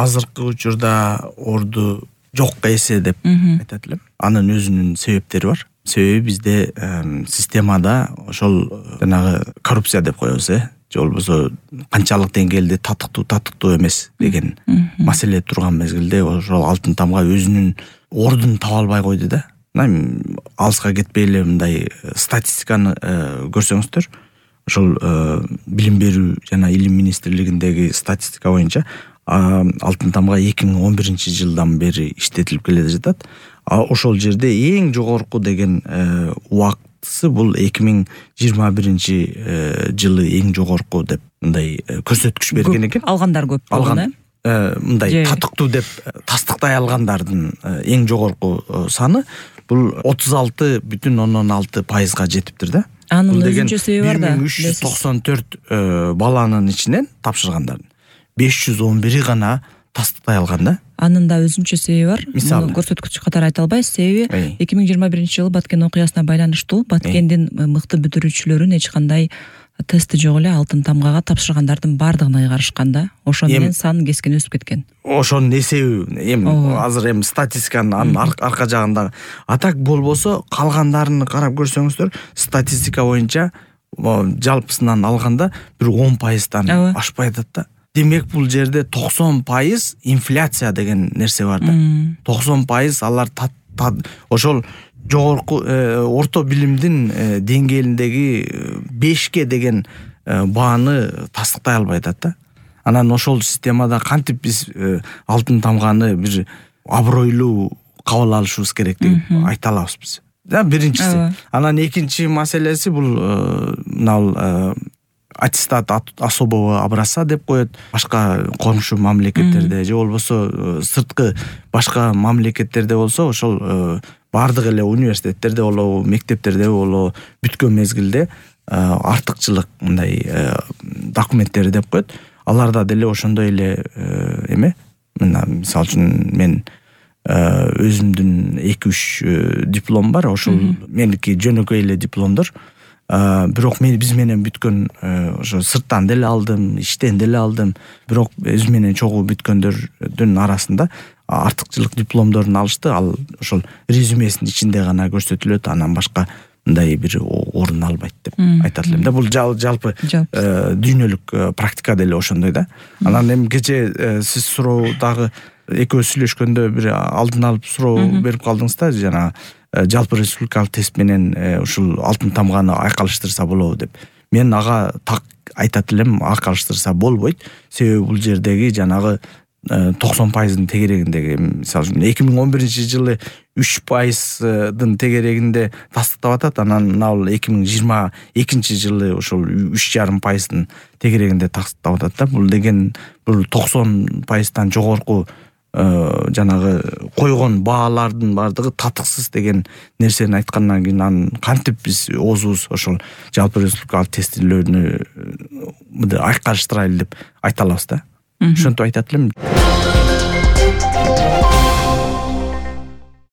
азыркы учурда орду жокко эсе деп айтат элем. Анын өзүнүн себептери бар. Себеби бизде системада ошол жанагы коррупция деп коебуз, же болбосо канчалык деңгээлде татыктуу эмес деген маселе турган мезгилде ошол алтын тамга өзүнүн ордун таба албай койду да. Алыска кетпей эле мындай статистиканы көрсөңүздөр, ошол билим берүү жана илим министрлигиндеги статистика боюнча алтын тамга 2011-жылдан бери иштетилип келе жатат. Ошол жерде эң жогорку деген убактысы бул 2021-жылы эң жогорку деп мындай көрсөткүч берген экен. Алгандар көп болгон, мындай татыктуу деп тастыктай алгандардын эң жогорку саны бул 36,6% жетиптир да. Анын өзүнчө себеби бар да. 1394 баланын ичинен тапшыргандардын 511 гана тастыктай алган да. Анын да өзүнчө себеби бар. Муну көрсөткүч катары айта албайбыз, себеби 2021-жылы Баткен окуясына байланыштуу Баткендин мыкты бүтүрүүчүлөрүн эч кандай тести жок эле алтын тамгага тапшыргандардын бардыгын ыйгарышкан да. Ошо менен сан кескин өсүп кеткен. Ошонун эсеби азыр статистиканын арка жагында. Атак болбосо калгандарын карап көрсөңүздөр, статистика боюнча жалпысынан алганда бир 10%-дан ашпай атат да. Демек бул жерде 90% инфляция деген нерсе бар да. 90% алар ошол жогорку орто билимдин деңгээлиндеги 5ке деген бааны тастыктай албай атат да. Анан ошол системада кантип биз алтын тамганы бир абройлуу кабыл алышыбыз керек деп айта алабыз биз. Биринчиси. Анан экинчи маселеси бул аттестат особого образца деп коет. Башка комшу мамлекеттерде же болбосо сырткы башка мамлекеттерде болсо ошол бардык эле университеттерде болобу, мектептерде болобу бүткөн мезгилде артыкчылык мындай документтери деп коет. Аларда деле ошондой эле эме. Мисалы үчүн мен өзүмдүн 2-3 диплом бар. Ошол меники жөнөкөй эле дипломдор. Бирок биз менен бүткөн ошо сырттан деле алдым, иштен деле алдым. Бирок өз менен чогуу бүткөндөрдүн арасында артыкчылык дипломдорун алышты. Ал ошол резюмесинин ичинде гана көрсөтүлөт, анан башка мындай бир орун албайт деп айтат элем да. Бул жалпы дүйнөлүк практика деле ошондой да. Анан эми кечээ сиз суроодагы экөөбүз сүйлөшкөндө бир алдын алып суроо берип калдыңыз да, жана жалпы республикалык тест менен ушул алтын тамганы айкалыштырса болобу деп. Мен ага так айтат элем, айкалыштырса болбойт. Себеби бул жердеги жанагы 90%-дын тегерегиндеги, мисалы үчүн 2011-жылы 3%-дын тегерегинде тастыктап атат, анан ал 2022-жылы ошол 3,5%-дын тегерегинде тастыктап атат да. Бул деген бул 90%-дан жогорку жанагы койгон баалардын бардыгы татыксыз деген нерсени айткандан кийин анан кантип биз оозубуз ошол жалпы республикалык тестилөөнү айкалыштырайлы деп айта алабыз да. Ошентип айтат элем.